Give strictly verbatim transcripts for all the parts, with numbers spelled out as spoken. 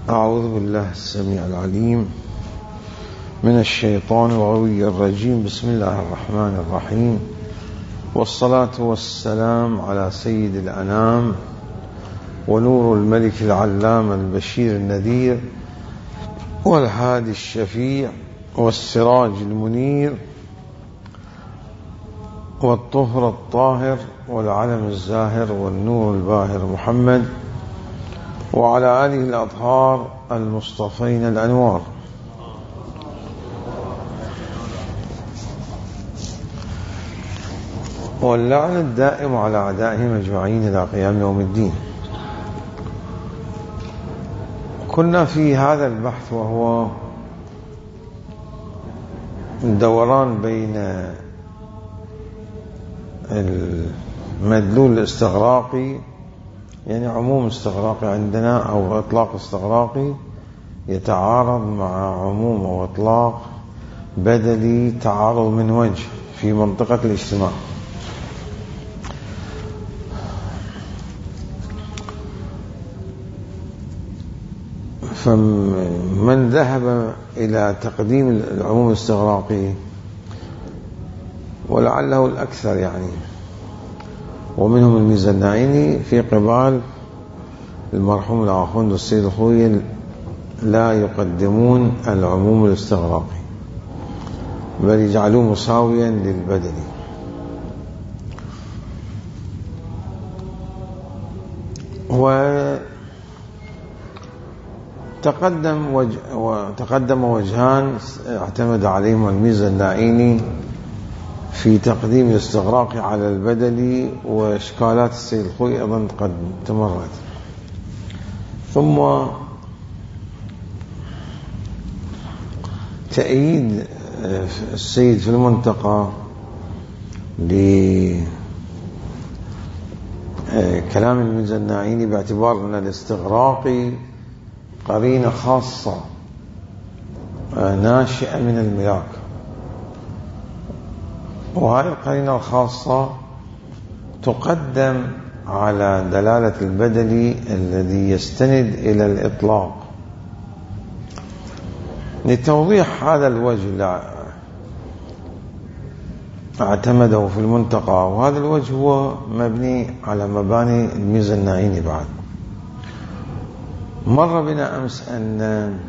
أعوذ بالله السميع العليم من الشيطان الغوي الرجيم. بسم الله الرحمن الرحيم، والصلاة والسلام على سيد الأنام ونور الملك العلام البشير النذير والهادي الشفيع والسراج المنير والطهر الطاهر والعلم الزاهر والنور الباهر محمد وعلى آله الأطهار المصطفين الأنوار. واللعن الدائم على أعدائهم أجمعين إلى قيام يوم الدين. كنا في هذا البحث وهو الدوران بين المدلول الاستغراقي، يعني عموم استغراقي عندنا أو إطلاق استغراقي يتعارض مع عموم أو إطلاق بدلي تعارض من وجه في منطقة الاجتماع. فمن ذهب إلى تقديم العموم الاستغراقي، ولعله الأكثر يعني، ومنهم الميزانعيني في قبال المرحوم الآخوند والسيد الخوي، لا يقدمون العموم الاستغراقي بل يجعلوه مساويا للبدني. وتقدم وجه وتقدم وجهان اعتمد عليهما الميزانعيني في تقديم الاستغراق على البدلي، وإشكالات السيد الخوي أيضا قد تمرت. ثم تأييد السيد في المنتقى لكلام الميزانعيني باعتبار أن الاستغراق قرينة خاصة ناشئة من الملاك، وهذه القرينة الخاصة تقدم على دلالة البدلي الذي يستند إلى الإطلاق. لتوضيح هذا الوجه اللي اعتمده في المنتقى، وهذا الوجه هو مبني على مباني الميزانعيني. بعد مر بنا أمس أن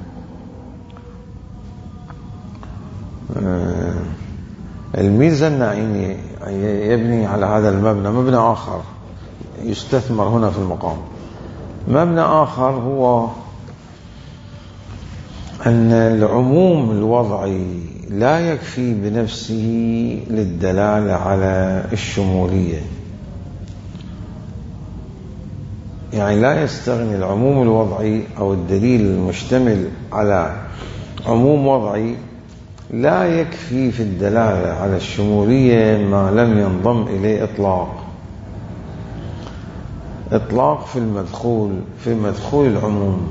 الميزانعيني يبني على هذا المبنى مبنى آخر يستثمر هنا في المقام. مبنى آخر هو أن العموم الوضعي لا يكفي بنفسه للدلالة على الشمولية، يعني لا يستغني العموم الوضعي أو الدليل المشتمل على عموم وضعي لا يكفي في الدلالة على الشمولية ما لم ينضم إليه إطلاق إطلاق في المدخول في مدخول العموم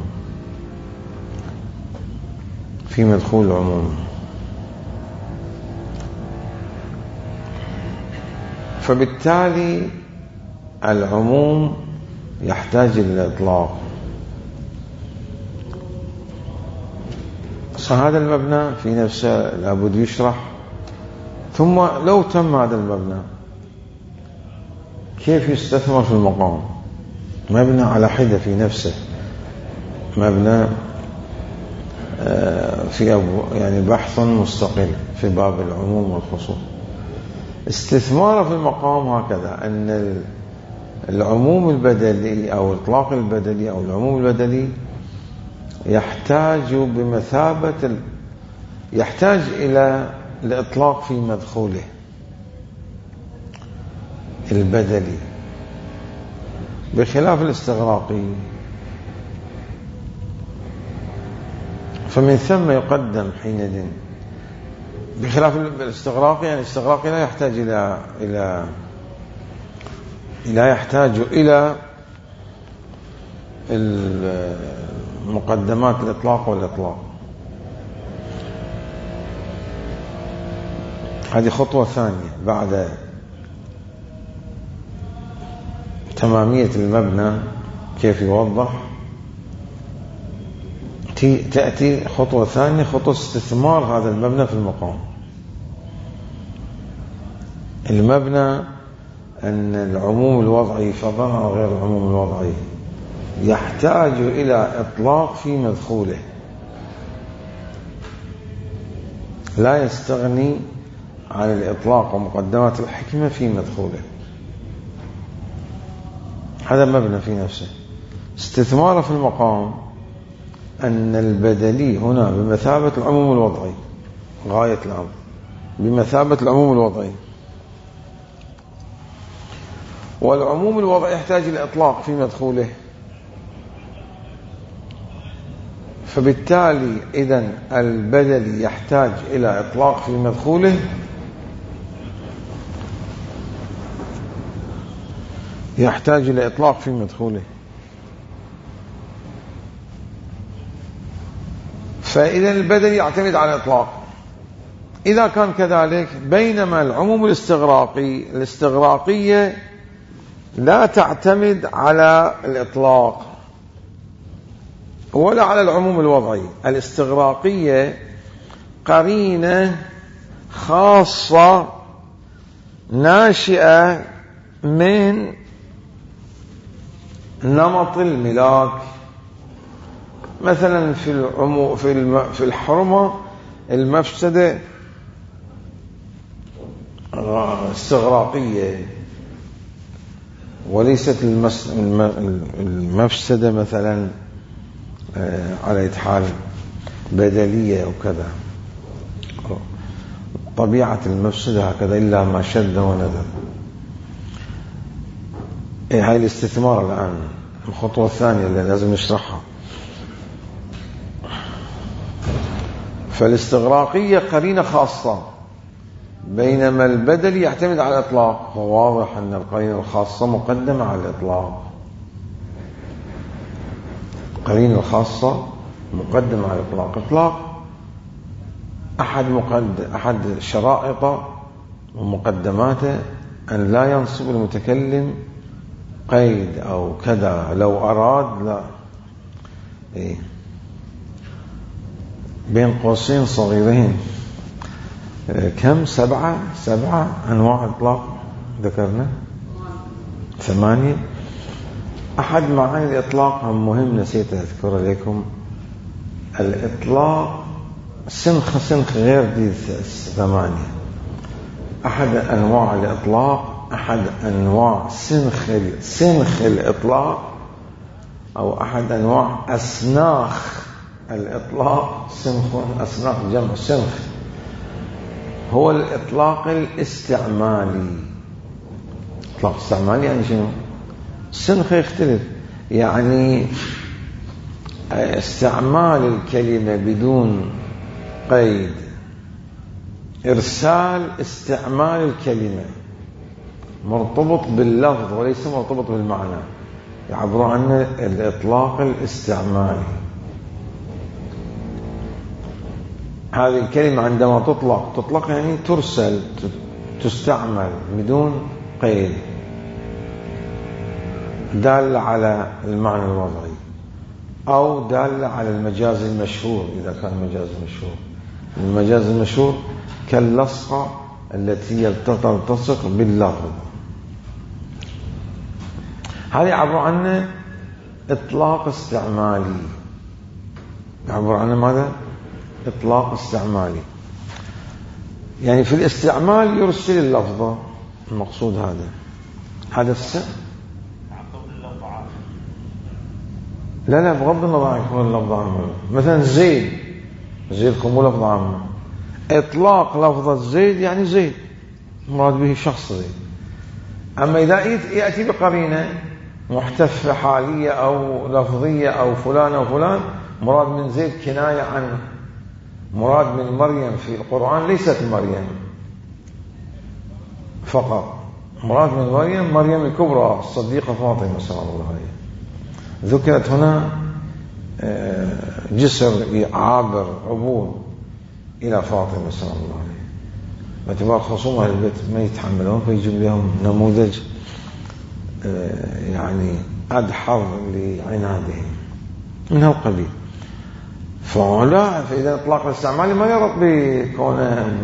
في مدخول العموم فبالتالي العموم يحتاج إلى الإطلاق. هذا المبنى في نفسه لابد يشرح. ثم لو تم هذا المبنى كيف يستثمر في المقام؟ مبنى على حدة في نفسه، مبنى في يعني بحث مستقل في باب العموم والخصوص. استثماره في المقام هكذا أن العموم البدلي أو إطلاق البدلي أو العموم البدلي يحتاج بمثابة ال... يحتاج إلى الإطلاق في مدخوله البدلي، بخلاف الاستغراقي. فمن ثم يقدم حينئذ، بخلاف الاستغراقي، يعني الاستغراقي لا يحتاج إلى إلى لا يحتاج إلى مقدمات الإطلاق والإطلاق. هذه خطوة ثانية بعد تمامية المبنى كيف يوضح. تأتي خطوة ثانية، خطوة استثمار هذا المبنى في المقام. المبنى أن العموم الوضعي فضلا أو غير العموم الوضعي يحتاج إلى إطلاق في مدخوله، لا يستغني عن الإطلاق ومقدمات الحكمة في مدخوله. هذا مبنى في نفسه. استثماره في المقام أن البدلي هنا بمثابة العموم الوضعي، غاية الأمر بمثابة العموم الوضعي، والعموم الوضعي يحتاج إلى إطلاق في مدخوله. فبالتالي إذن البدلي يحتاج إلى إطلاق في مدخوله، يحتاج إلى إطلاق في مدخوله. فإذا البدلي يعتمد على الإطلاق. إذا كان كذلك، بينما العموم الاستغراقي الاستغراقية لا تعتمد على الإطلاق ولا على العموم الوضعي. الاستغراقية قرينة خاصة ناشئة من نمط الملاك. مثلا في العمو في في الحرمة المفسدة استغراقية، وليست المفسدة مثلا على حال بدلية أو كذا. طبيعة المفسدة هكذا إلا ما شد وندر. إيه هاي الاستثمار الآن الخطوة الثانية اللي لازم نشرحها. فالاستغراقية قرينة خاصة، بينما البدل يعتمد على الإطلاق. وواضح أن القرينة الخاصة مقدمة على الإطلاق. القرينة الخاصة مقدمة على الإطلاق. إطلاق أحد مقدم أحد شرائطه ومقدماته أن لا ينصب المتكلم قيد أو كذا لو أراد. لا، إيه بين قوسين صغيرين، كم؟ سبعة سبعة أنواع إطلاق ذكرنا، ثمانية. أحد معاني الإطلاق مهم نسيت أذكر لكم. الإطلاق سنخ سنخ غير دي ثمانية. أحد أنواع الإطلاق، أحد أنواع سنخ سنخ الإطلاق، أو أحد أنواع أسناخ الإطلاق. سنخ أسناخ جمع سنخ، هو الإطلاق الاستعمالي. إطلاق استعمالي يعني شنو؟ السنخ يختلف، يعني استعمال الكلمة بدون قيد، إرسال استعمال الكلمة مرتبط باللفظ وليس مرتبط بالمعنى، يعبر عنه الإطلاق الاستعمالي. هذه الكلمة عندما تطلق تطلق يعني ترسل، تستعمل بدون قيد، دال على المعنى الوضعي أو دال على المجاز المشهور. إذا كان مجاز مشهور، المجاز المشهور كاللصقة التي تلتصق باللفظ. هذا يعبر عنه إطلاق استعمالي. يعبر عنه ماذا؟ إطلاق استعمالي. يعني في الاستعمال يرسل اللفظة، المقصود هذا هذا السر. لا لا بغض النظر عن كون اللفظ عامة. مثلا زيد، زيد كم لفظ عامة. إطلاق لفظة زيد يعني زيد مراد به شخص زيد. أما إذا يأتي بقرينة محتفة حالية أو لفظية أو فلان أو فلان، مراد من زيد كناية عنه. مراد من مريم في القرآن ليست مريم فقط، مراد من مريم مريم الكبرى الصديقة فاطمة سلام الله عليها. ذكرت هنا جسر عابر عبور إلى فاطمة سلام الله عليها، باعتبار خصوم أهل البيت ما يتحملون، فيجيب لهم نموذج يعني أدحر لعنادهم من هالقبيل. فلا فإذا الإطلاق الاستعمالي ما يربط بكونه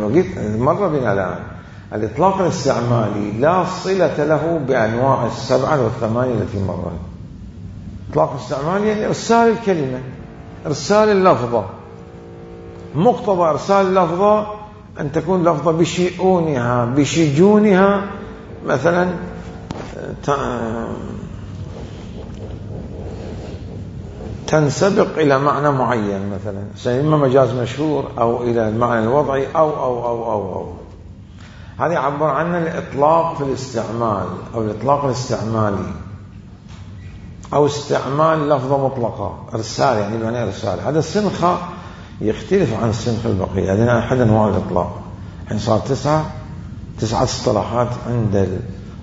مرة بنا الآن. الإطلاق الاستعمالي لا صلة له بأنواع السبعة والثمانية التي مرت. الإطلاق الاستعمالي يعني إرسال الكلمة، إرسال اللفظة. مقتضى إرسال اللفظة أن تكون لفظة بشؤونها بشجونها مثلا تنسبق إلى معنى معين، مثلا إما مجاز مشهور أو إلى المعنى الوضعي أو أو أو أو, أو. هذا يعبر عنه الإطلاق في الاستعمال أو الإطلاق الاستعمالي أو استعمال لفظة مطلقة، إرسال يعني بمعنى إرسال. هذا السنخ يختلف عن السنخ البقية. هذا أحد أنواع الإطلاق. الحين صار تسعة تسعة اصطلاحات عند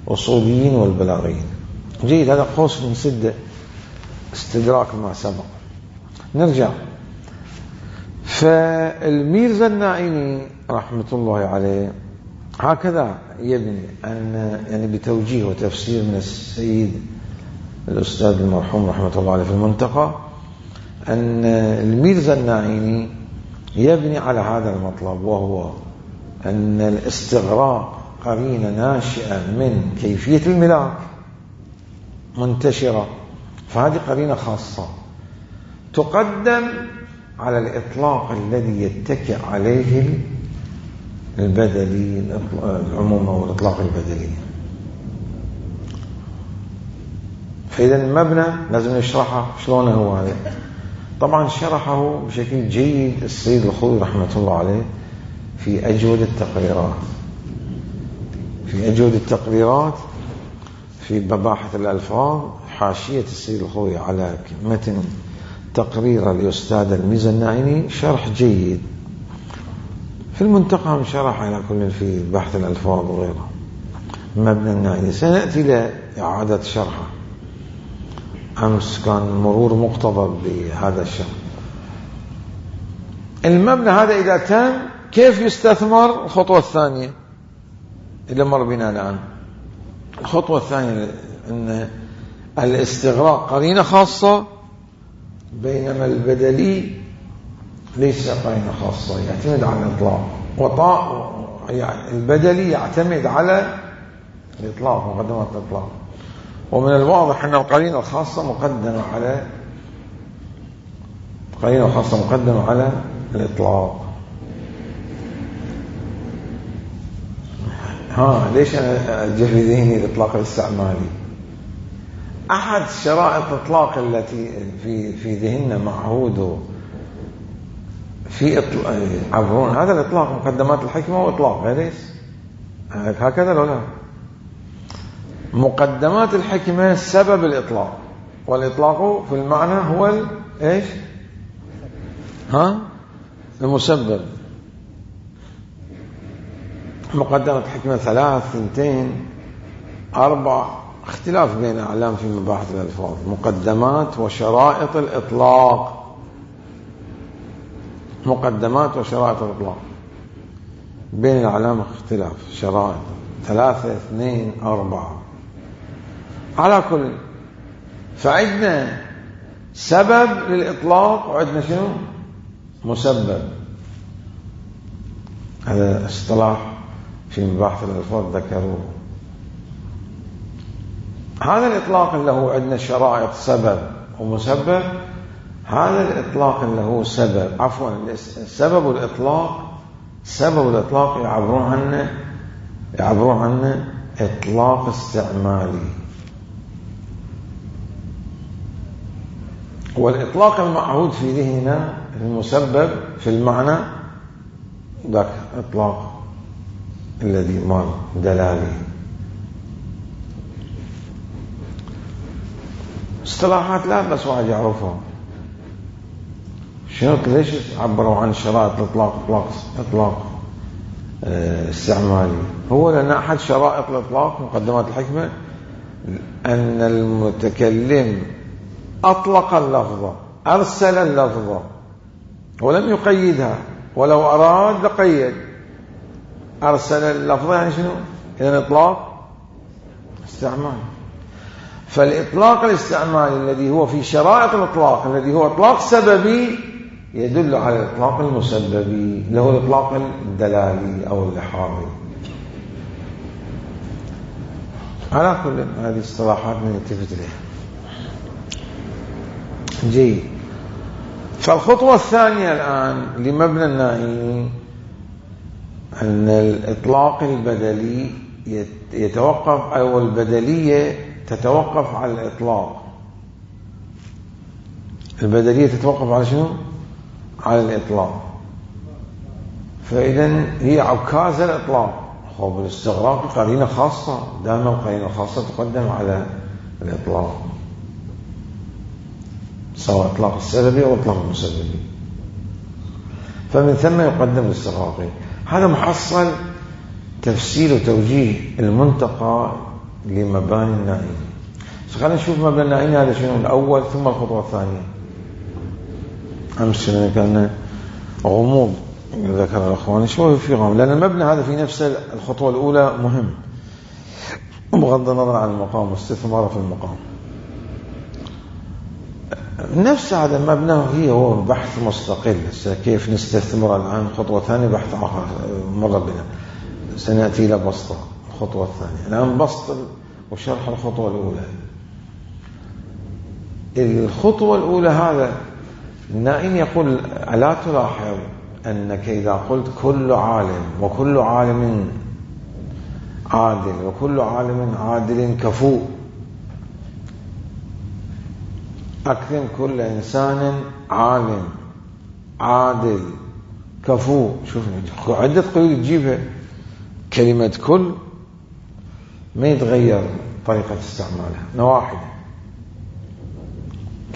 الأصوليين والبلاغيين. جيد، هذا قوس من سدة استدراك ما سبق. نرجع. فالميرزا الناعيني رحمة الله عليه هكذا يبني أن يعني بتوجيه وتفسير من السيد الأستاذ المرحوم رحمة الله عليه في المنتقى، أن الميرزا الناعيني يبني على هذا المطلب، وهو أن الاستغراق قرينة ناشئة من كيفية الملاك منتشرة، فهذه قرينة خاصة تقدم على الإطلاق الذي يتكئ عليه البدلي العموم أو الإطلاق البدلي. فإذا المبنى لازم نشرحه شلون هو هذا. طبعا شرحه بشكل جيد السيد الخوئي رحمة الله عليه في أجود التقريرات في أجود التقريرات في مباحث الألفاظ، حاشية السيد الخوئي على متن تقرير الأستاذ الميرزا الناعيني شرح جيد. في المنتقى شرح على كل في بحث الألفاظ وغيره مبنى الناعيني. سنأتي لإعادة شرحه. أمس كان مرور مقتضب بهذا الشرح. المبنى هذا إذا تم كيف يستثمر؟ الخطوة الثانية اللي مر بنا الآن. الخطوة الثانية أن الاستغراق قرينة خاصة، بينما البدلي ليس قرينة خاصة، يعتمد على الإطلاق. وطاء يعني البدلي يعتمد على الإطلاق، مقدمة الإطلاق. ومن الواضح أن القرينة الخاصة مقدمة على القرينة الخاصة مقدمة على الإطلاق. ها ليش أنا أجي في ذهني الإطلاق الاستعمالي؟ أحد شرائط الإطلاق التي في في ذهننا معهود في عبرون هذا الإطلاق مقدمات الحكمة وإطلاق ليش هكذا لو لا؟ مقدمات الحكمة سبب الإطلاق، والإطلاق في المعنى هو إيش؟ ها المسبب. مقدمة الحكمة ثلاث ثنتين أربع، اختلاف بين أعلام في مباحث الألفاظ. مقدمات وشرائط الإطلاق، مقدمات وشرائط الإطلاق بين الأعلام اختلاف. شرائط ثلاثة اثنين أربعة على كل. فعندنا سبب للإطلاق وعندنا شنو؟ مسبب. هذا اصطلاح في مباحث الألفاظ ذكروه. هذا الإطلاق اللي هو عندنا شرائط سبب ومسبب، هذا الإطلاق اللي هو سبب عفوا سبب الإطلاق سبب الإطلاق يعبرون عنه يعبرون عنه إطلاق استعمالي. والإطلاق المعهود في ذهننا المسبب في المعنى ذاك إطلاق الذي مر دلالي. اصطلاحات لا بس واحد يعرفها. شنو ليش عبروا عن شرائط الإطلاق إطلاق إطلاق اه استعمالي؟ هو لأن أحد شرائط الإطلاق مقدمات الحكمة أن المتكلم أطلق اللفظة، أرسل اللفظة ولم يقيدها، ولو أراد لقيد. أرسل اللفظة يعني شنو؟ إذن إطلاق استعمال. فالإطلاق الاستعمالي الذي هو في شرائط الإطلاق الذي هو إطلاق سببي يدل على الإطلاق المسببي له الإطلاق الدلالي أو اللحاظي. على كل هذه اصطلاحات نلتفت لها. جيد. فالخطوة الثانية الآن لمبنى النائي أن الإطلاق البدلي يتوقف أو البدلية تتوقف على الإطلاق. البدلية تتوقف على شنو؟ على الإطلاق. فإذا هي عكاز الإطلاق. خب الاستغراق قرينة خاصة، دائما القرينة الخاصة تقدم على الإطلاق، سواء إطلاق السببي أو إطلاق المسببي. فمن ثم يقدم الاستغراقي. هذا محصل تفسير وتوجيه المنتقى لمباني النائي. خلينا نشوف مبنى النائي هذا شنو الأول ثم الخطوة الثانية. أمس كان غموض ذكر الأخوان شوي في غموض، لأن المبنى هذا في نفس الخطوة الأولى مهم بغض النظر عن المقام واستثماره في المقام. نفس هذا المبنى هي هو بحث مستقل. كيف نستثمر الآن خطوة ثانية بحث آخر مر بنا، سنأتي إلى بسط الخطوة الثانية. الآن بسط وشرح الخطوة الأولى. الخطوة الأولى هذا النائم يقول ألا تلاحظ أنك إذا قلت كل عالم وكل عالم عادل وكل عالم عادل كفو، أكرم كل إنسان عالم عادل كفو. شوف عدة قيود تجيبها، كلمة كل ما يتغير طريقة استعمالها نواحي.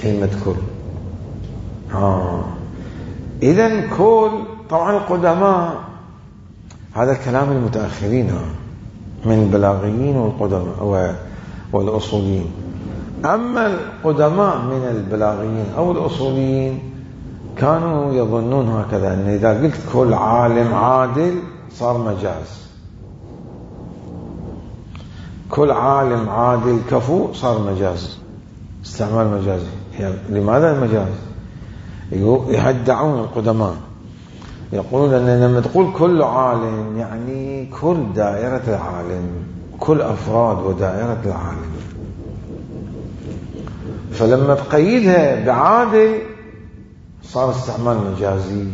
كلمة كل آه. إذن كل طبعا القدماء هذا كلام المتأخرين من البلاغيين والقدماء والأصوليين. أما القدماء من البلاغيين أو الأصوليين كانوا يظنون هكذا، أن إذا قلت كل عالم عادل صار مجاز، كل عالم عادل كفو صار مجاز، استعمال مجازي. يعني لماذا المجاز؟ يهدعون القدماء، يقولون أن لما تقول كل عالم يعني كل دائرة العالم، كل أفراد ودائرة العالم. فلما تقيدها بعادل صار استعمال مجازي.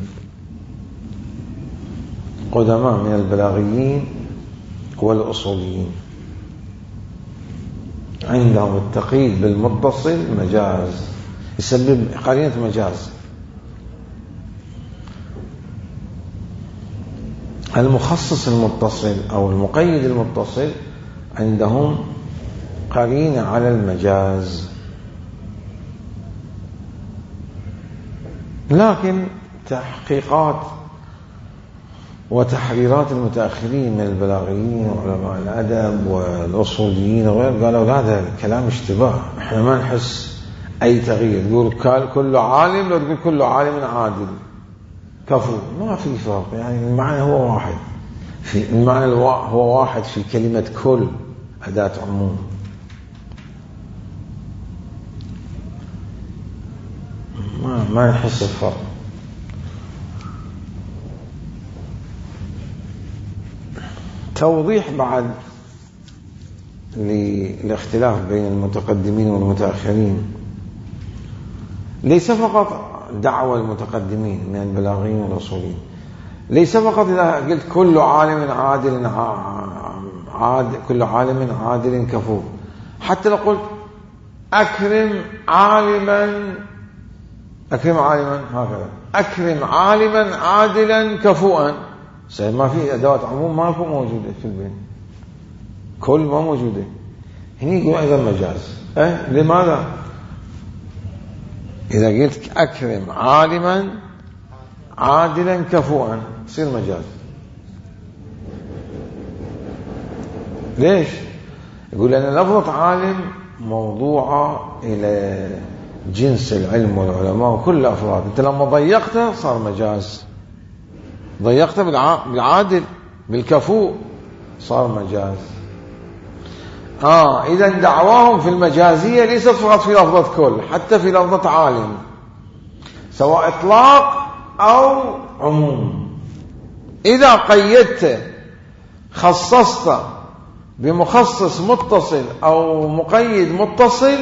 قدماء من البلاغيين والأصوليين عندهم التقييد بالمتصل مجاز، يسبب قرينة مجاز. المخصص المتصل أو المقيد المتصل عندهم قرينة على المجاز. لكن تحقيقات وتحريرات المتأخرين من البلاغيين وعلماء الأدب والأصوليين وغير قالوا هذا الكلام اشتباه، احنا ما نحس أي تغيير. يقول كل عالم لو تقول كل عالم عادل كفو، ما في فرق، يعني المعنى هو واحد، في المعنى هو واحد في كلمة كل أداة عموم. ما ما نحس الفرق. توضيح بعد للاختلاف بين المتقدمين والمتأخرين. ليس فقط دعوة المتقدمين من البلاغيين والأصوليين، ليس فقط إذا قلت كل عالم عادل عادل كل عالم عادل كفو، حتى لو قلت أكرم عالما أكرم عالما هكذا أكرم عالما عادلا كفوا، ما في أدوات عموم ما في موجودة في البين، كل ما موجودة. هنا يقول أيضا مجاز. أه؟ لماذا؟ إذا قلت أكرم عالما عادلا كفوا يصير مجاز. ليش؟ يقول لأن لفظة عالم موضوعة إلى جنس العلم والعلماء وكل أفراد. أنت لما ضيقته صار مجاز، ضيقته بالعادل بالكفو صار مجاز. آه إذا دعواهم في المجازية ليست فقط في لفظة كل، حتى في لفظة عالم. سواء إطلاق أو عموم. إذا قيدت خصصت بمخصص متصل أو مقيد متصل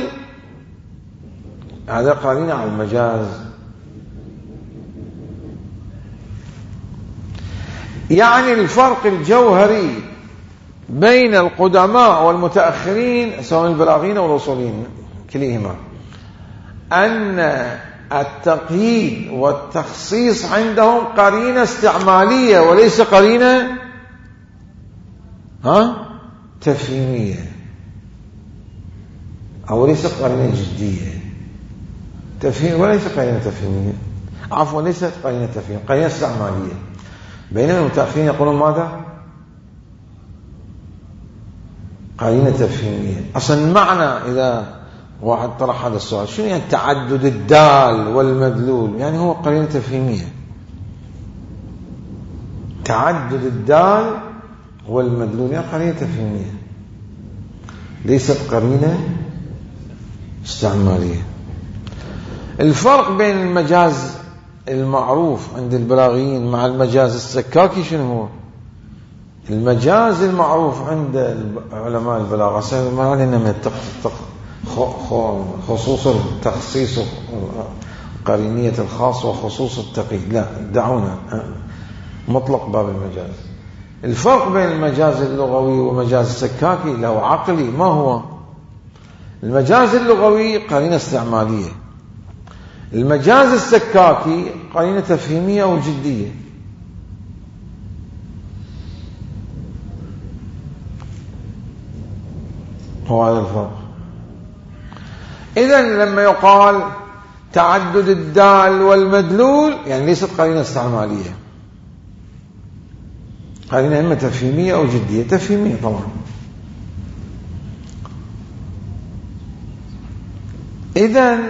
هذا قرينة على المجاز. يعني الفرق الجوهري بين القدماء والمتأخرين سواء البلاغيين أو الأصوليين كليهما أن التقييد والتخصيص عندهم قرينة استعمالية وليس قرينة ها تفهيمية، أو ليس قرينة جدية. تفهيم وليس قرينة تفهيمية، عفوا ليست قرينة تفهيم، قرينة استعمالية. بينما المتأخرين يقولون ماذا؟ قرينة تفهيمية. أصلا المعنى إذا واحد طرح هذا السؤال شنو يعني تعدد الدال والمدلول؟ يعني هو قرينة تفهيمية. تعدد الدال والمدلول يعني قرينة تفهيمية ليست قرينة استعمالية. الفرق بين المجاز المعروف عند البلاغيين مع المجاز السكاكي شنو هو؟ المجاز المعروف عند علماء البلاغة سيما من خصوص التخصيص قرينية الخاص وخصوص التقييد، لا دعونا مطلق باب المجاز. الفرق بين المجاز اللغوي ومجاز السكاكي له عقلي. ما هو؟ المجاز اللغوي قرينة استعمالية، المجاز السكاكي قرينة تفهيمية أو جدية. هو هذا الفرق. إذن لما يقال تعدد الدال والمدلول يعني ليست قرينة استعمالية، قرينة إما تفهيمية أو جدية. تفهيمية طبعا. إذن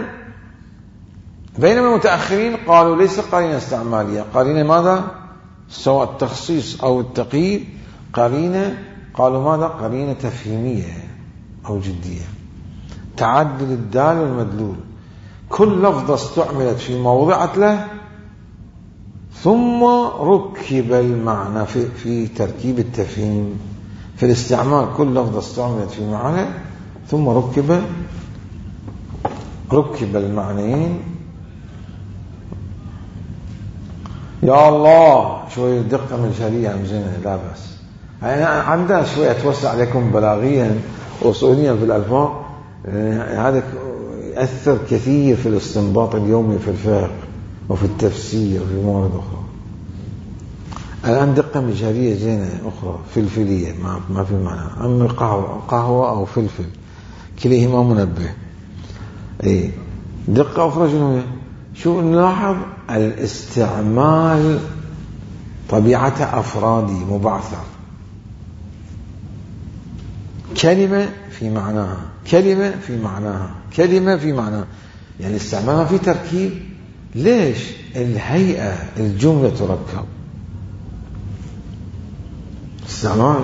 بينما المتأخرين قالوا ليس قرينة استعمالية، قرينة ماذا؟ سواء التخصيص أو التقييد قرينة، قالوا ماذا؟ قرينة تفهيمية أو جدية. تعدد الدال والمدلول، كل لفظة استعملت في موضعة له ثم ركب المعنى في, في تركيب التفهيم. في الاستعمال كل لفظة استعملت في معنى ثم ركب ركب المعنيين. يا الله شوية دقة من شريعة مزينة لا بأس. يعني عندنا شوية توسع عليكم بلاغيا وأصوليا في الألفاظ، هذا يأثر كثير في الاستنباط اليومي في الفقه وفي التفسير وفي موارد أخرى. الآن دقة مجهرية زينة أخرى فلفلية ما ما في معنى، أما قهوة قهوة أو فلفل كليهما منبه. أي دقة أخرى شنو هي؟ شو نلاحظ الاستعمال طبيعة أفرادي مبعثر، كلمة في معناها، كلمة في معناها، كلمة في معناها، يعني استعمالها في تركيب. ليش؟ الهيئة الجملة تركب استعمال.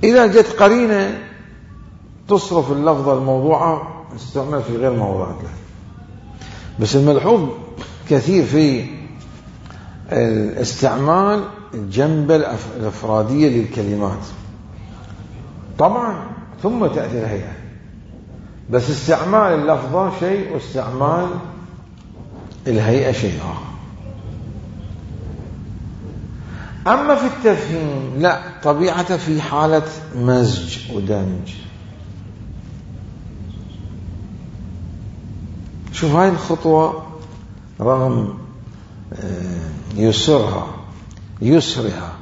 إذا جت قرينة تصرف اللفظة الموضوعة استعمال في غير موضوعات له. بس الملحوظ كثير في الاستعمال الجنبة الأفرادية للكلمات طبعا ثم تأتي الهيئة، بس استعمال اللفظة شيء واستعمال الهيئة شيء آخر. أما في التفهيم لا، طبيعة في حالة مزج ودمج. شوف هاي الخطوة رغم يسرها يسرها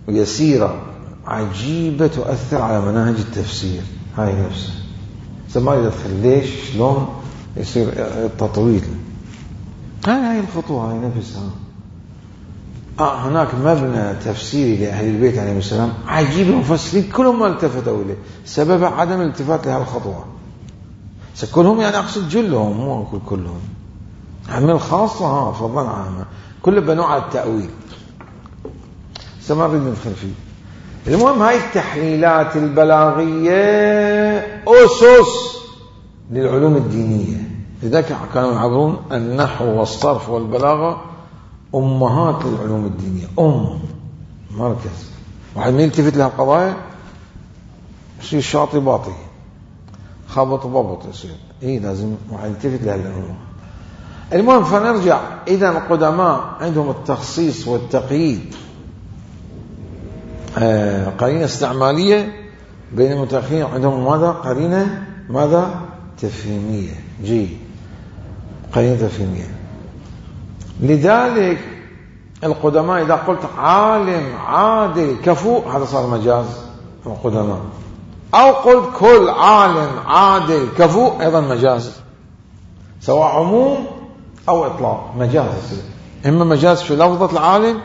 ويسيرة عجيبة تؤثر على مناهج التفسير. هاي نفسها سما يدخل ليش شلون يصير التطويل. هاي هاي الخطوة هاي نفسها. آه هناك مبنى تفسيري لأهل البيت عليهم السلام عجيب، المفسرين كلهم ما التفتوا إليه، سبب عدم الالتفات لهذه الخطوة. كلهم يعني أقصد جلهم مو أقول كلهم، عمل خاصة ها فضلا عامة كل بنوع التأويل سما نريد ندخل فيه. المهم هاي التحليلات البلاغية أسس للعلوم الدينية لذلك كانوا يعبرون النحو والصرف والبلاغة أمهات للعلوم الدينية، أم مركز. واحد من يلتفت لها القضايا يصير شاطي باطي، خبط وببط يصير. إيه لازم واحد يلتفت لها الأمور. المهم فنرجع، إذا القدماء عندهم التخصيص والتقييد آه قرينة استعمالية، بين المتأخرين عندهم ماذا؟ قرينة ماذا؟ تفهيمية. جي قرينة تفهيمية. لذلك القدماء إذا قلت عالم عادل كفو هذا صار مجاز القدماء، أو قلت كل عالم عادل كفو أيضا مجاز، سواء عموم أو إطلاق مجاز يصير. إما مجاز في لفظة العالم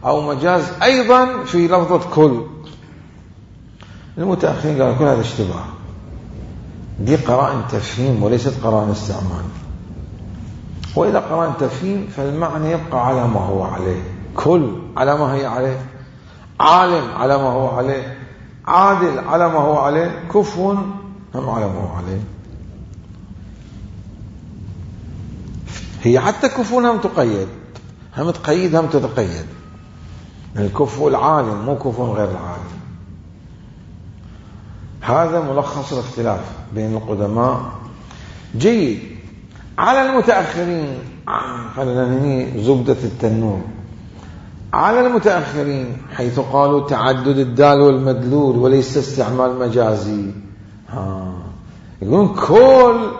أو مجاز أيضا في لفظة كل. المتأخرين قالوا كل هذا اشتباه، دي قرائن تفهيم وليست قرائن استعمال. وإذا قرائن تفهيم فالمعنى يبقى على ما هو عليه، كل على ما هي عليه، عالم على ما هو عليه، عادل على ما هو عليه، كفو هم على ما هو عليه. هي حتى كفو هم تقيد، هم تقيد هم تتقيد. الكفو العالم مو كفو غير العالم. هذا ملخص الاختلاف بين القدماء. جيد. على المتأخرين، خلينا ننهي زبدة التنور. على المتأخرين حيث قالوا تعدد الدال والمدلول وليس استعمال مجازي، ها يقولون كل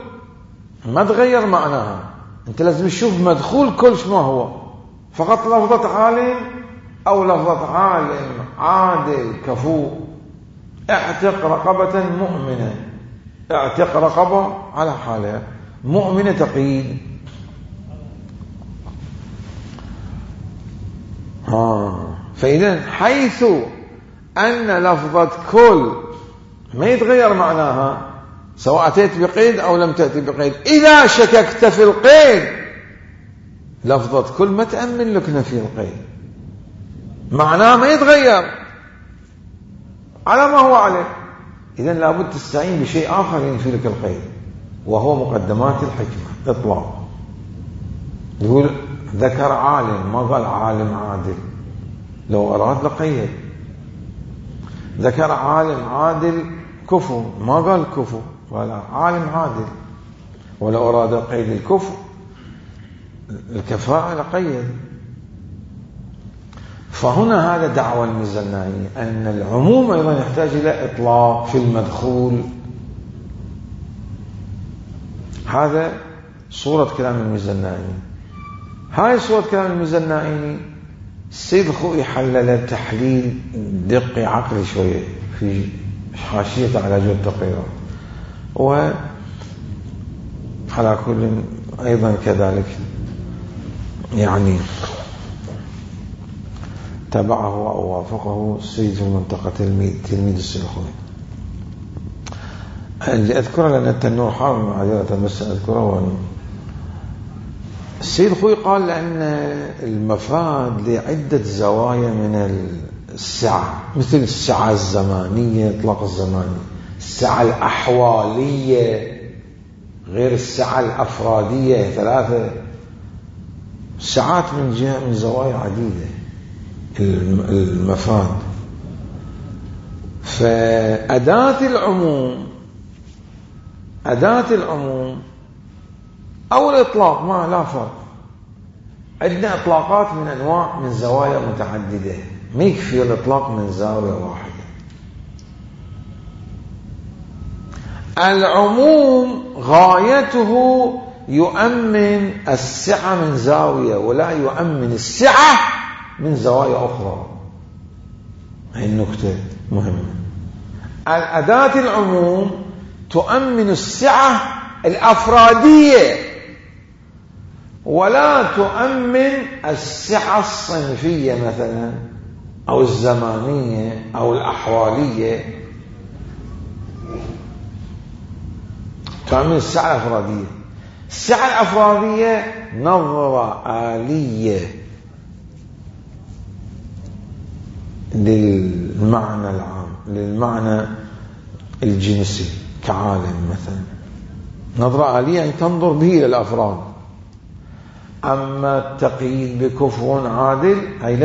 ما تغير معناها، انت لازم تشوف مدخول كل شو ما هو، فقط لفظة عالم او لفظة عالم عادل كفو. اعتق رقبة مؤمنة، اعتق رقبة على حالها، مؤمنة تقييد. ها فإذا حيث أن لفظة كل ما يتغير معناها سواء أتيت بقيد أو لم تأتي بقيد، إذا شككت في القيد لفظة كل ما تأمن لك نفي القيد، معناه ما يتغير على ما هو عليه. إذن لابد تستعين بشيء آخر ينفي لك القيد، وهو مقدمات الحكمة. إطلاق يقول ذكر عالم ما قال عالم عادل، لو أراد لقيد. ذكر عالم عادل كفو ما قال كفو، قال عالم عادل. ولو أراد قيد الكفو الكفاءة لقيد. فهنا هذا دعوى الميزانية أن العموم أيضا يحتاج إلى إطلاق في المدخول. هذا صورة كلام الميزانية. هاي صورة كلام الميزانية السيد الخوئي حلل تحليل دقي عقلي شوية في حاشية على جود التقريرات، وعلى كل أيضا كذلك يعني تبعه أو وافقه السيد في المنطقة تلميذ السيد الخوئي. اللي أذكره لأن التنور حار معذرة بس أذكره. السيد الخوئي قال لأن المفاد لعدة زوايا من السعة، مثل السعة الزمانية إطلاق الزماني، السعة الأحوالية غير السعة الأفرادية، ثلاثة ساعات من جهة من زوايا عديدة المفاد. فأداة العموم أداة العموم أو الإطلاق ما لا فرق. عندنا إطلاقات من أنواع من زوايا متعددة، ما يكفي الإطلاق من زاوية واحدة. العموم غايته يؤمن السعة من زاوية ولا يؤمن السعة من زوايا أخرى. هذه النكتة مهمة. الأداة العموم تؤمن السعة الأفرادية ولا تؤمن السعة الصنفية مثلا أو الزمانية أو الأحوالية. تؤمن السعة الأفرادية. السعة الأفرادية نظرة آلية للمعنى العام، للمعنى الجنسي كعالم مثلا. نظرة آلية يعني تنظر به إلى الأفراد. أما التقييد بكفو عادل هي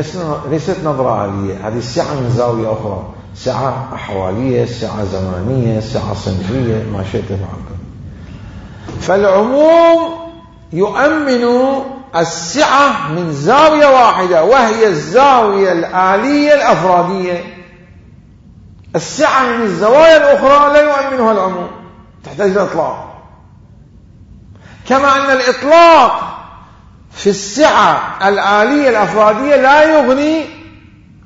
ليست نظرة آلية، هذه السعة من زاوية أخرى، سعة أحوالية، سعة زمانية، سعة صنفية، ما شئت فعلت. فالعموم يؤمن السعة من زاوية واحدة وهي الزاوية الآلية الأفرادية. السعة من الزوايا الأخرى لا يؤمنها العموم، تحتاج الإطلاق. كما أن الإطلاق في السعة الآلية الأفرادية لا يغني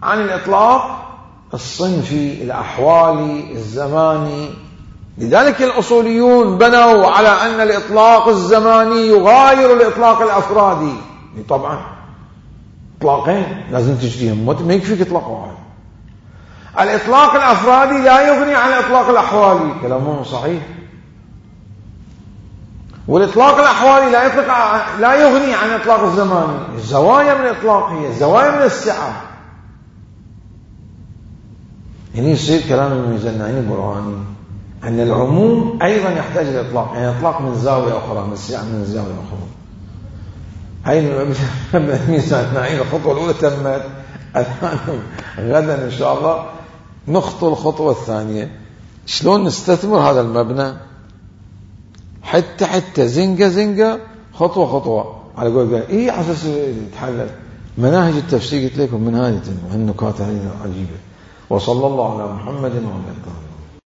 عن الإطلاق الصنفي الأحوالي الزماني. لذلك الأصوليون بنوا على أن الإطلاق الزماني يغاير الإطلاق الأفرادي. طبعا إطلاقين لازم تجديهم، ما يكفيك إطلاق واحد. الإطلاق الأفرادي لا يغني عن الإطلاق الأحوالي، كلامهم صحيح. والإطلاق الأحوالي لا يطلق لا يغني عن الإطلاق الزماني. الزوايا من الإطلاق هي زوايا من السعة. يعني يصير كلام الميزانعين البرهاني أن العموم أيضا يحتاج الإطلاق، يعني إطلاق من زاوية أخرى، من السعة من زاوية أخرى. هاي الميزانعين الخطوة الأولى تمت. الآن غدا إن شاء الله نخطو الخطوة الثانية، شلون نستثمر هذا المبنى حتى حتى زنقة زنقة، خطوة خطوة، على قول قال إيه على أساس يتحلل. مناهج التفسير قلت لكم منهاج النكات هذه عجيبة. وصلى الله على محمد وعلى آله.